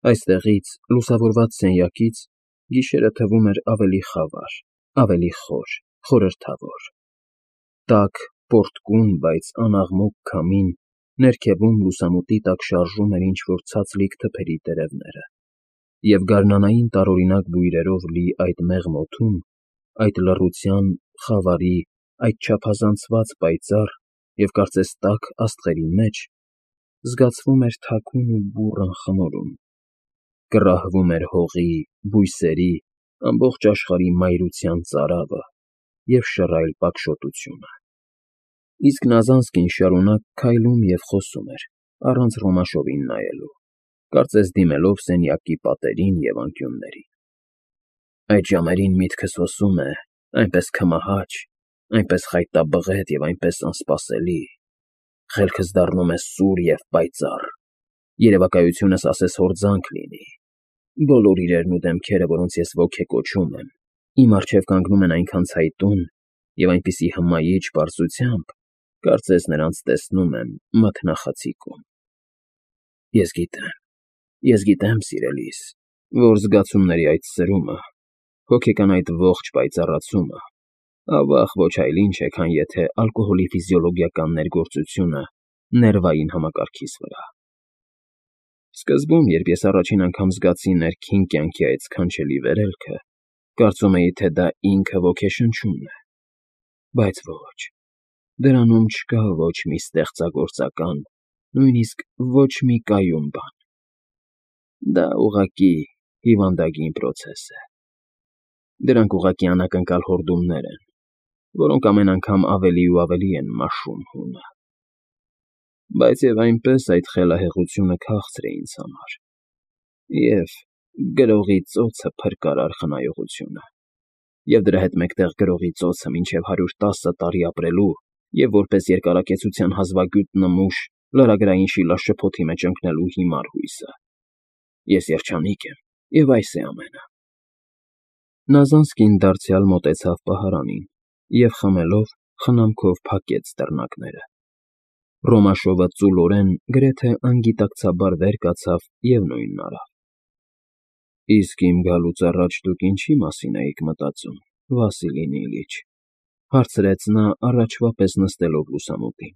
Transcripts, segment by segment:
Այստեղից, լուսավորված սենյակից, գիշերը թվում էր ավելի խավար, ավելի խոր, խորհրդավոր. տաք, պոռթկուն, բայց անաղմուկ քամին ներքևում լուսամուտի տակ շարժում էր ինչ֊որ ցածլիկ թփերի տերևները, և գարնանային տարօրինակ բույրերով լի այդ մեղմ օդում, այդ լռության, խավարի, այդ չափազանցված պայծառ և կարծես տաք աստղերի մեջ զգացվում էր թաքուն ու բուռն խմորում, կռահվում էր հողի, բույսերի, ամբողջ աշխարհի մայրության ծարավը և շռայլ պակշոտությունը։ Իսկ Նազանսկին շարունակ քայլում և խոսում էր, առանց Ռոմաշովին նայելու, կարծես դիմելով սենյակի պատերին և անկյուններին։ Այդ ժամերին միտքս հոսում է, այնպես քմահաճ, այնպես խայտաբղետ և այնպես անսպասելի, խելքս դառնում է սուր և պայծառ, երևակայությունս ասես հորձանք լինի, բոլոր իրերն ու դեմքերը, որոնց ես ոգեկոչում եմ, իմ առջև կանգնում են այնքան ցայտուն և այնպիսի հմայիչ պարզությամբ, կարծես նրանց տեսնում եմ մթնախցիկում։ Ես գիտեմ, սիրելիս, որ զգացումների այդ սրումը, հոգեկան այդ ողջ պայծառացումը, ավաղ ոչ այլ ինչ է, քան եթե ալկոհոլի ֆիզիոլոգիական ներգործությունը ներվային համակարգիս վրա։ Սկզբում, երբ ես առաջին անգամ զգացի ներքին կյանքի այդ սքանչելի վերելքը, կարծում էի, թե դա ինքը ոգեշնչումն է, բայց ոչ, դրանում չկա ոչ մի ստեղծագործական, նույնիսկ ոչ մի կայուն բան։ Դա ուղղակի հիվանդագին պրոցես է։ Դրանք ուղղակի անակնկալ հորդումներ են, որոնք ամեն անգամ ավելի ու ավելի են մաշում հունը։ Բայց և այնպես այդ խելահեղությունը քաղցր է ինձ համար, և գրողի ծոցը փրկարար խնայողությունը, և դրա հետ մեկտեղ գրողի ծոցը մինչև 110 տարի ապրելու և որպես երկարակեցության հազվագյուտ նմուշ լրագրային շիլաշփոթի մեջ ընկնելու հիմար հույսը։ Ես երջանիկ եմ, և այս է ամենը։ Նազանսկին դարձյալ մոտեցավ պահարանին և խմելով, խնամքով փակեց դռնակները։ Ռոմաշովը ծուլորեն, գրեթե անգիտակցաբար վեր կացավ և նույնն արավ։ Իսկ իմ գալուց առաջ դուք ինչի՞ մասին էիք մտածում, Վասիլի Նիլիչ, հարցրեց նա առաջվա պես նստելով լուսամուտին։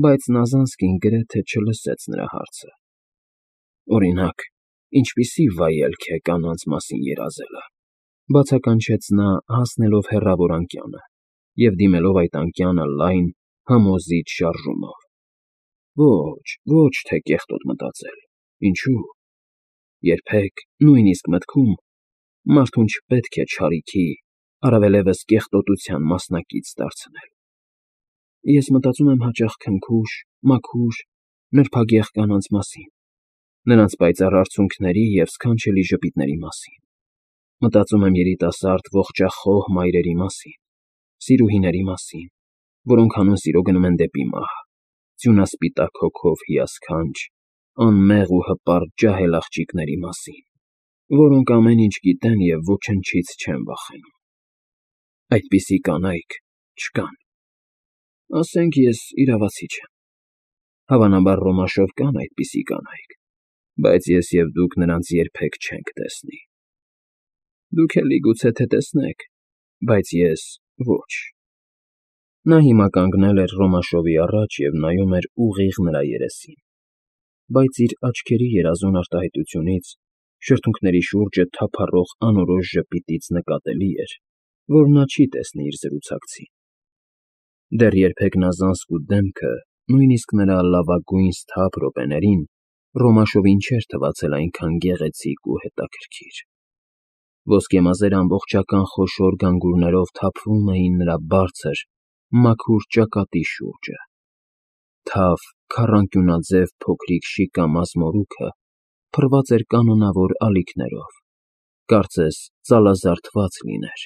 Բայց Նազանսկին գրեթե չլսեց նրա հարցը։ Օրինակ, ինչպիսի՞ վայելք է կանանց մասին երազելը, բացականչեց նա, հասնելով հեռավոր անկյանը և դիմելով այդ անկյանը լայն, համոզիչ շարժումով։ Ոչ թե կեղտոտ մտածել, ինչո՞ւ։ Երբեք, նույնիսկ մտքում, մարդուն չպետք է չարիքի, առավելևս կեղտոտության մասնակից դարձնել։ Ես մտածում եմ հաճախ քնքուշ, մաքուր, նրբագեղ կանանց մասին, նրանց պայծառ արցունքների և սքանչելի ժպիտների մասին։ Մտածում եմ երիտասարդ ողջախոհ մայրերի մասին, սիրուհիների մասին, որոնք հանուն սիրո գնում են դեպի մահ, ձյունասպիտակ հոգով հիասքանչ, անմեղ ու հպարտ ջահել աղջիկների մասին, որոնք ամեն ինչ գիտեն և ոչնչից չեն վախենում։ Այդպիսի կանայք չկան։ Ասենք, ես իրավացի չեմ։ Հավանաբար Ռոմաշով կան այդպիսի կանայք, բայց ես և դուք նրանց երբեք չենք տեսնի։ Դուք էլի գուցե թե տեսնեք, բայց ես՝ ոչ։ Նա հիմա կանգնել էր Ռոմաշովի առաջ և նայում էր ուղիղ նրա երեսին, բայց իր աչքերի երազուն արտահայտությունից, շրթունքների շուրջը թափառող անորոշ ժպիտից նկատելի էր, որ նա չի տեսնի իր զրուցակցին։ Դեռ երբեք Նազանսկու դեմքը, նույնիսկ նրա լավագույն սթափ րոպեներին, Ռոմաշովին չէր թվացել այնքան գեղեցիկ ու հետաքրքիր։ Ոսկե մազերը ամբողջական խոշոր գանգուրներով թափվում էին նրա բարձր, մաքուր ճակատի շուրջը։ Թավ, քառանկյունաձև փոքրիկ շիկա մազմորուքը փռված էր կանոնավոր ալիքներով, կարծես ծալազարդված լիներ,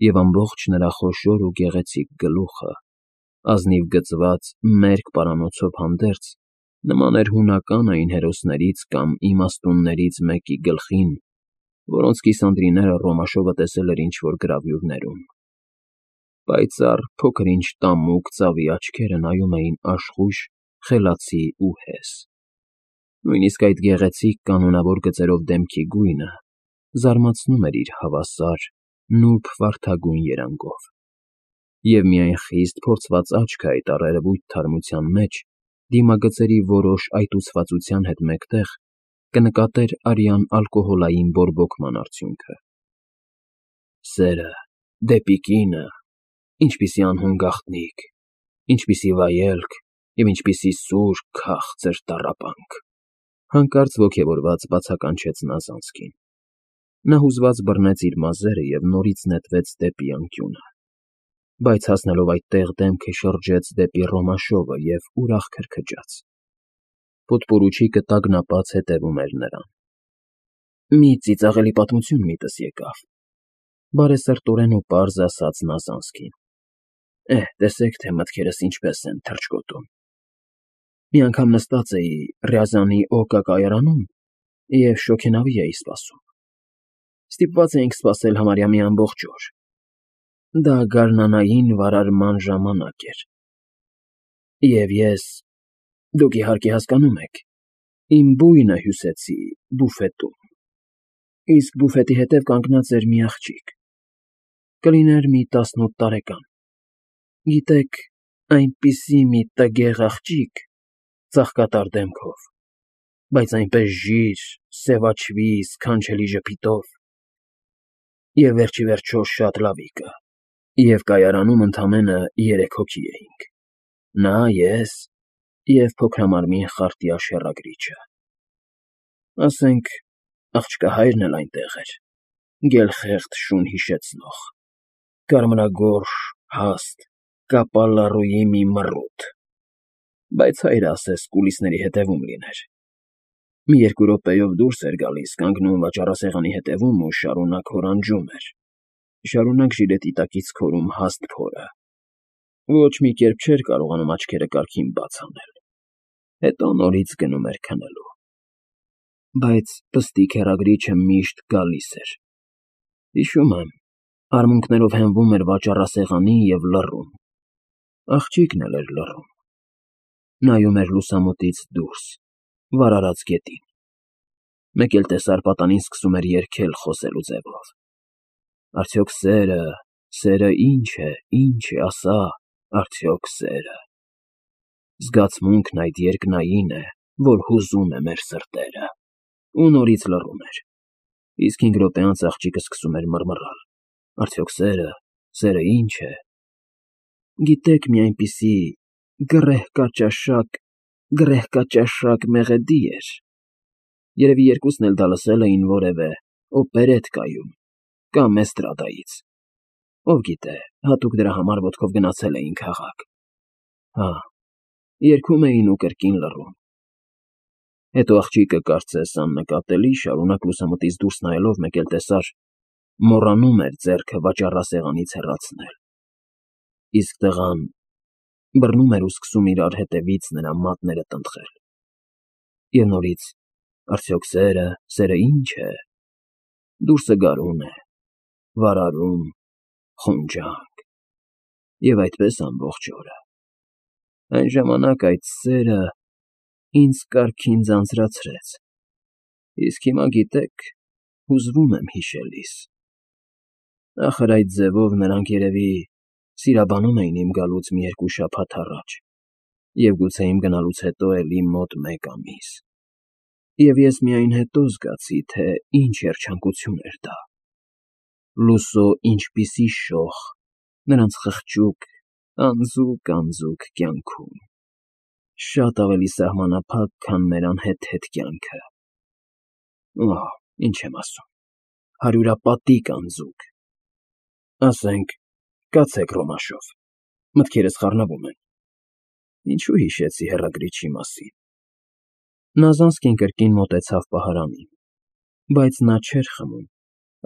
և ամբողջ նրա խոշոր ու գեղեցիկ գլուխը, ազնիվ գծված մերկ պարանոցով հանդերձ, նման էր հունական այն հերոսներից կամ իմաստուններից մեկի գլխին, որոնց կիսանդրիները Ռոմաշովը տեսել էր ինչ֊որ գրավյուրներում։ Պայծառ, փոքր-ինչ տամուկ ծավի աչքերը նայում էին աշխույժ, խելացի ու հես։ Նույնիսկ այդ գեղեցիկ կանոնավոր գծերով դեմքի գույնը զարմացնում էր իր հավասար, նուրբ վարդագույն երանգով, և միայն խիստ փորձված աչքը այդ առերևույթ թարմության մեջ դիմագծերի որոշ այտուցվածության հետ մեկտեղ կնկատեր արյան ալկոհոլային բորբոքման արդյունքը։ Սերը դեպի կինը, ինչպիսի անհուն գաղտնիք, ինչպիսի վայելք և ինչպիսի սուր, քաղցր տառապանք, հանկարծ ոգևորված բացականչեց նա Զանսկին։ Նա հուզված բռնեց իր մազերը և նորից նետվեց դեպի անկյունը, բայց հասնելով այդտեղ դեմքը շրջեց դեպի Ռոմաշովը և ուրախ քրքջաց։ Պոդպորուչիկը տագնապած հետևում էր նրան։ Մի ծիծաղելի պատմություն միտս եկավ, բարեսրտորեն ու պարզ ասաց նա Զանսկին։ Տեսեք, թե մտքերս ինչպես են թռչկոտում։ Մի անգամ նստած էի Ռյազանի Օկա կայարանում և շոգենավի էի սպասում։ Ստիպված էինք սպասել համարյա մի ամբողջ օր։ Դա գարնանային վարարման ժամանակ էր։ Եվ ես, դուք իհարկե հասկանում եք, իմ բույնը հյուսեցի բուֆետում, իսկ բուֆետի հետև կանգնած էր մի աղջիկ, կլիներ մի 18 տարեկան։ Գիտեք, այնպիսի մի տգեղ աղջիկ, ծաղկատար դեմքով, բայց այնպես ժիր, սևաչվի, սքանչելի ժպիտով, և վերջիվերջո շատ լավիկը, և կայարանում ընդամենը 3 հոգի էինք. նա, ես և փոքրամարմին խարտյա շեռագրիչը։ Ասենք, աղջկահայրն էլ այնտեղ էր, գելխեղդ շուն հիշեցնող, կարմրագորշ, հաստ, կապալառուի մի մռութ, բայց հայրը ասես կուլիսների հետևում լիներ։ Մի 2 րոպեով դուրս էր գալիս, կանգնում վաճառասեղանի հետևում ու շարունակ հորանջում էր, շարունակ ժիլետի տակից քորում հաստ փորը, ոչ մի կերպ չէր կարողանում աչքերը կարգին բաց անել, հետո նորից գնում էր քնելու։ Բայց պստիկ հեռագրիչը միշտ գալիս էր։ Հիշում եմ, արմունկներով հենվում էր վաճառասեղանին և լռում։ Աղջիկն էլ էր լռում։ Նայում էր լուսամուտից դուրս, վարարած գետին։ Մեկ էլ տեսար պատանին սկսում էր երգել խոսելու ձևով. Արդյոք սերը ինչ է, ասա, արդյոք սերը։ Զգացմունքն այդ երկնային է, որ հուզում է մեր սրտերը։ Ու նորից լռում էր։ Իսկ 5 րոպե անց աղջիկը սկսում էր մռմռալ. Արդյոք սերը ինչ է։ Գիտեք, մի այնպիսի գռեհկաճաշակ մեղեդի էր։ Երևի երկուսն էլ դա լսել էին որևէ օպերետկայում կամ էստրադայից։ Ով գիտե, հատուկ դրա համար ոտքով գնացել էին քաղաք։ Հա, երգում էին ու կրկին լռում։ Հետո աղջիկը, կարծես աննկատելի, շարունակ լուսամուտից դուրս նայելով մեկ էլ տեսար, մոռանում էր ձեռքը վաճառասեղանից հեռացնել։ Իսկ տղան բռնում էր ու սկսում իրար հետևից նրա մատները տնտղել։ Եվ նորից. Արդյոք սերը ինչ է։ Դուրսը գարուն է, վարարում, խունջանք։ Եվ այդպես ամբողջ օրը։ Այն ժամանակ այդ սերը ինձ կարգին ձանձրացրեց։ Իսկ հիմա, գիտեք, հուզվում եմ հիշելիս։ Ախր այդ ձևով նրանք երևի սիրաբանում էին իմ գալուց մի 2 շաբաթ առաջ, և գուցե իմ գնալուց հետո էլի մոտ 1 ամիս։ Եվ ես միայն հետո զգացի, թե ինչ երջանկություն էր դա։ Լուսո ինչպիսի շող նրանց խղճուկ, անձուկ կյանքում։ Շատ ավելի սահմանափակ, քան մեր անհեթեթ կյանքը։ Ինչ եմ ասում, հարյուրապատիկ անձուկ։ Ասենք, կացեք Ռոմաշով, մտքերս խառնվում են։ Ինչու հիշեցի հեռագրիչի մասին։ Նա Զանսկին կրկին մոտեցավ պահարանին, բայց նա չէր խմում,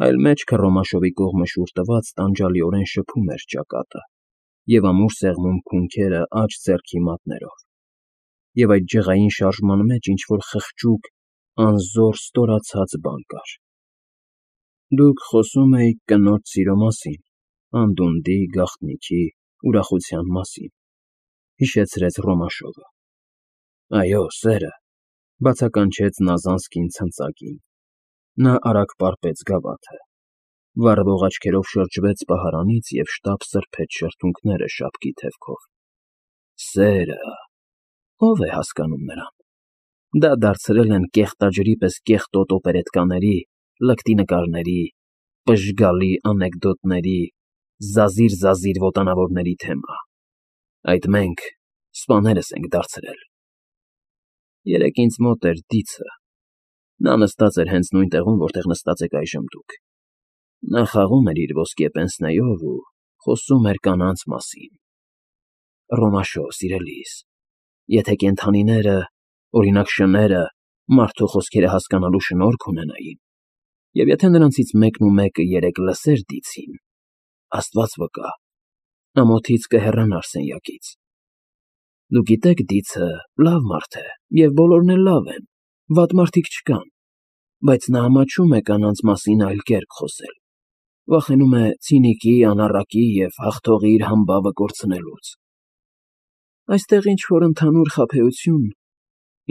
այլ մեջքը Ռոմաշովի կողմը շուռ տված տանջալիորեն շփում էր ճակատը և ամուր սեղմում քունքերը աջ ձեռքի մատներով, և այդ ջղային շարժման մեջ ինչ֊որ խղճուկ, անզոր ստորացած բան կար։ Դուք խոսում էիք կնոջ սիրո մասին, անդունդի, գաղտնիքի, ուրախության մասին, հիշեցրեց Ռոմաշովը։ Այո, սերը, Բացականչեց Նազանսկին ցնծակին։ Նա արագ պարպեց գավաթը, վառվող աչքերով շրջվեց պահարանից և շտապ սրբեց շրթունքները շապկի թևքով։ Սերը… ո՞վ է հասկանում նրան։ Դա դարձրել են կեղտաջրի պես կեղտոտ օպերետկաների, լկտի նկարների, պժգալի անեկդոտների, զազիր ոտանավորների թեմա։ Այդ մենք, սպաներս ենք դարձրել։ Երեկ ինձ մոտ էր Դիցը։ Նա նստած էր հենց նույն տեղում, որտեղ նստած եք այժմ դուք։ Նա խաղում էր իր ոսկե պենսնեով ու խոսում էր կանանց մասին։ Ռոմաշո, սիրելիս, եթե կենդանիները, օրինակ շները, մարդու խոսքերը հասկանալու շնորք ունենային, և եթե նրանցից մեկն ու մեկը երեկ լսեր Դիցին, Աստված վկա, ամոթից կհեռանար սենյակից։ Դուք գիտեք, Դիցը լավ մարդ է, և բոլորն էլ լավ են, վատ մարդիկ չկան, բայց նա ամաչում է կանանց մասին այլ կերպ խոսել, վախենում է ցինիկի, անառակի և հաղթողի իր համբավը կորցնելուց։ Այստեղ ինչ-որ ընդհանուր խաբեություն,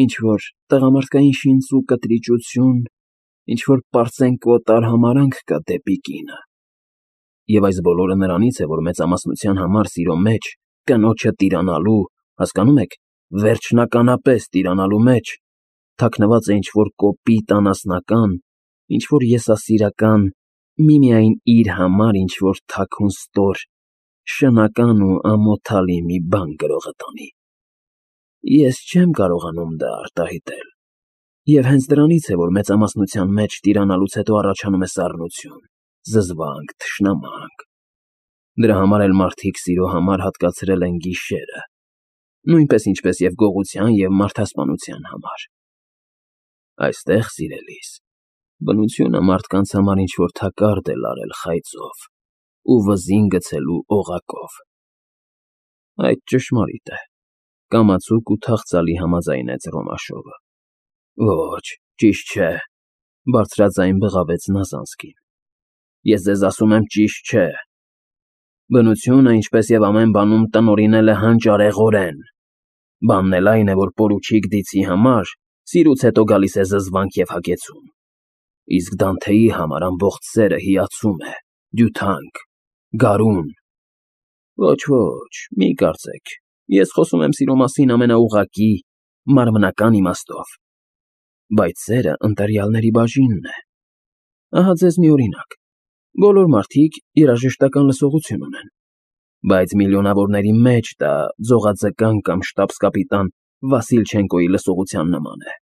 ինչ-որ տղամարդկային շինծ ու կտրիճություն, ինչ-որ պարծենկոտ արհամարհանք կա դեպի կինը։ Եվ այս բոլորը նրանից է, որ մեծամասնության համար սիրո մեջ, կնոջը տիրանալու, հասկանում եք, վերջնականապես տիրանալու մեջ, թաքնված է ինչ-որ կոպիտ անասնական, ինչ-որ եսասիրական, միմիայն իր համար ինչ-որ թաքուն ստոր, շնական ու ամոթալի մի բան գրողը տանի։ Ես չեմ կարողանում դա արտահայտել։ Եվ հենց դրանից է, որ մեծամասնության մեջ տիրանալուց հետո առաջանում է սառնություն, զզվանք, թշնամանք։ Դրա համար էլ մարդիկ սիրո համար հատկացրել են գիշերը, նույնպես ինչպես և գողության և մարդասպանության համար։ Այստեղ, սիրելիս, բնությունը մարդկանց համար ինչ-որ թակարդ է լարել խայծով ու վզին գցելու օղակով։ Այդ ճշմարիտ է, կամացուկ ու թախծալի համաձայնեց Ռոմաշովը։ Ոչ, ճիշտ չէ, բարձրաձայն բղավեց Նազանսկին։ Ես ձեզ ասում եմ, ճիշտ չէ։ Բնությունը, ինչպես և ամեն բանում, տնօրինել է հանճարեղորեն։ Բանն էլ այն է, որ պորուչիկ Դիցի համար սիրուց հետո գալիս է զզվանք և հագեցում։ Իսկ Դանթեի համար ամբողջ սերը հիացում է, դյութանք, գարուն։ Ոչ, մի կարծեք, ես խոսում եմ սիրո մասին ամենաուղղակի, մարմնական իմաստով։ Բայց սերը ընտելյալների բաժինն է։ Ահա ձեզ մի օրինակ. բոլոր մարդիկ երաժշտական լսողություն ունեն, բայց միլիոնավորների մեջ դա ձողաձկան կամ շտաբս֊կապիտան Վասիլչենկոյի լսողության նման է։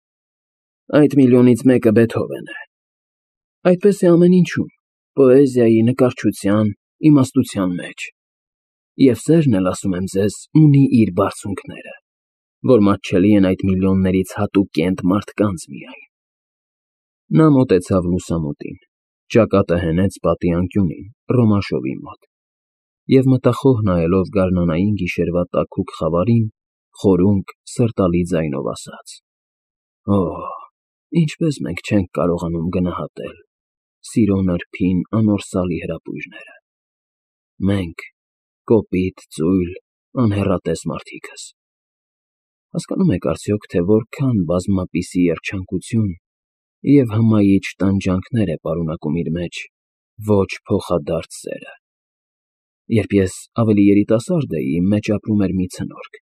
Այդ միլիոնից մեկը Բեթհովեն է։ Այդպես է ամեն ինչում, պոեզիայի, նկարչության, իմաստության մեջ։ Եվ սերն էլ, ասում եմ ձեզ, ունի իր բարձունքները, որ մատչելի են այդ միլիոններից հատուկենտ մարդկանց միայն։ Նա մոտեցավ լուսամուտին, ճակատը հենեց պատի անկյունին, Ռոմաշովի մոտ, և մտախոհ նայելով գարնանային գիշերվա տաքուկ խավարին, խորունկ, սրտալի ձայնով ասաց. Օհ, ինչպես մենք չենք կարողանում գնահատել սիրո նրբին, անորսալի հրապույրները։ Մենք, կոպիտ, ծույլ, անհեռատես մարդիկս։ Հասկանո՞ւմ եք արդյոք, թե որքան բազմապիսի երջանկություն և հմայիչ տանջանքներ է պարունակում իր մեջ ոչ փոխադարձ սերը։ Երբ ես ավելի երիտասարդ էի, իմ մեջ ապրում էր մի ցնորք՝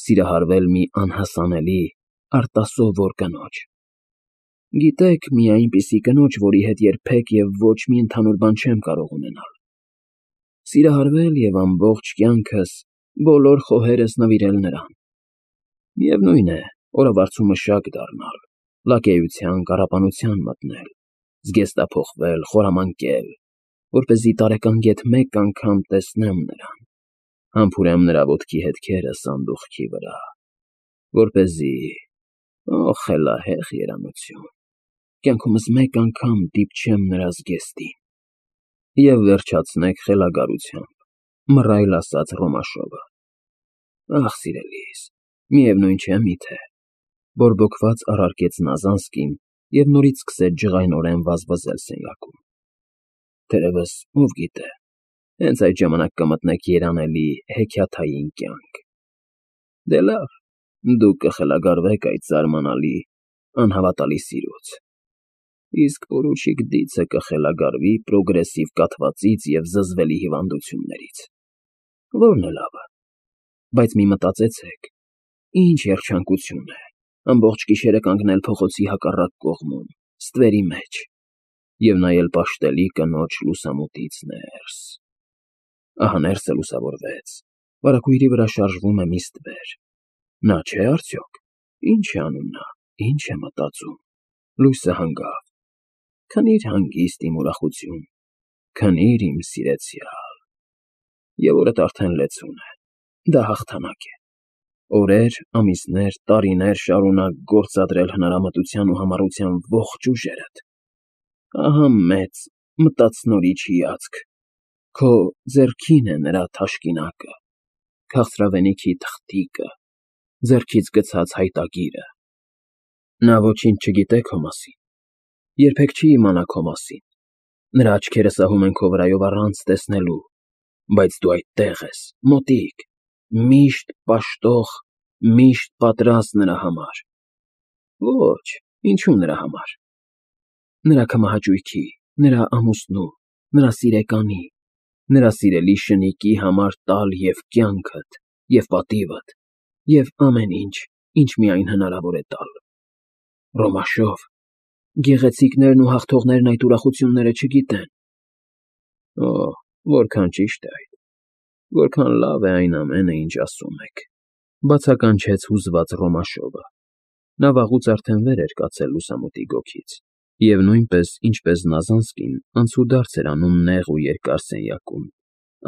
սիրահարվել մի անհասանելի, արտասովոր կնոջ։ Գիտեք, մի այնպիսի կնոջ, որի հետ երբեք և ոչ մի ընդհանուր բան չեմ կարող ունենալ։ Սիրահարվել և ամբողջ կյանքս, բոլոր խոհերս նվիրել նրան։ Միևնույն է, օրավարձու մշակ դառնալ, լակեյության, կառապանության մտնել, զգեստափոխվել, խորամանկել, որպեսզի տարեկան գեթ մեկ անգամ տեսնեմ նրան, համբուրեմ նրա ոտքի հետքերը սանդուղքի վրա, որպեսզի… Օ, խելահեղ երանություն, կյանքումս մեկ անգամ դիպչեմ նրա զգեստին։ Եվ վերջացնեք խելագարությամբ, մռայլ ասաց Ռոմաշովը։ Ախ, սիրելիս, միևնույն չէ միթե, բորբոքված առարկեց Նազանսկին և նորից սկսեց ջղայնորեն վազվզել սենյակում։ Թերևս, ով գիտե, հենց այդ ժամանակ կմտնեք երանելի, հեքիաթային կյանք։ Դե լավ, դուք կխելագարվեք այդ զարմանալի անհավատալի սիրուց։ Իսկ պորուչիկ Դիցը կխելագարվի պրոգրեսիվ կաթվածից և զզվելի հիվանդություններից, որն է լավը, բայց մի մտածեցեք, ինչ երջանկություն է ամբողջ գիշերը կանգնել փողոցի հակառակ կողմում, ստվերի մեջ, և նայել պաշտելի կնոջ լուսամուտից ներս։ Ահա ներսը լուսավորվեց, վարագույրի վրա շարժվում է մի ստվեր։ Նա չէ՞ արդյոք։ Ինչ է անում նա, ինչ է մտածում։ Լույսը հանգավ։ Քնիր հանգիստ իմ ուրախություն, քնիր իմ սիրեցյալ։ Եվ օրդ արդեն լեցուն է, դա հաղթանակ է։ Օրեր, ամիսներ, տարիներ շարունակ գործադրել հնարամտության ու համառության ողջ ուժերդ։ Ահա մեծ, մտածնորիչ հիացք։ Քո ձեռքին է նրա թաշկինակը, քաղցրավենիքի թղթիկը, ձեռքից գցած հայտագիրը։ Նա ոչինչ չգիտե քո մասին, երբեք չի իմանա քո մասին, նրա աչքերը սահում են քո վրայով առանց տեսնելու, բայց դու այդտեղ ես, մոտիկ, միշտ պաշտող, միշտ պատրաստ նրա համար։ Ոչ, ինչու նրա համար։ Նրա քմահաճույքի, նրա ամուսնու, նրա սիրեկանի, նրա սիրելի շնիկի համար տալ և կյանքդ, և պատիվդ, և ամեն ինչ, ինչ միայն հնարավոր է տալ։ Ռոմաշով, գեղեցիկներն ու հաղթողներն այդ ուրախությունները չգիտեն։ Օ, որքան ճիշտ է այդ, որքան լավ է այն ամենը, ինչ ասում եք, բացականչեց հուզված Ռոմաշովը։ Նա վաղուց արդեն վեր էր կացել լուսամուտի գոգից, և նույնպես, ինչպես Նազանսկին, անցուդարձ էր անում նեղ ու երկար սենյակում,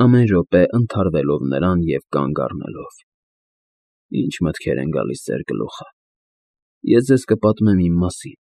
ամեն րոպե ընդհարվելով նրան և կանգ առնելով։ Ինչ մտքեր են գալիս ձեր գլուխը։ Ես ձեզ կպատմեմ իմ մասին,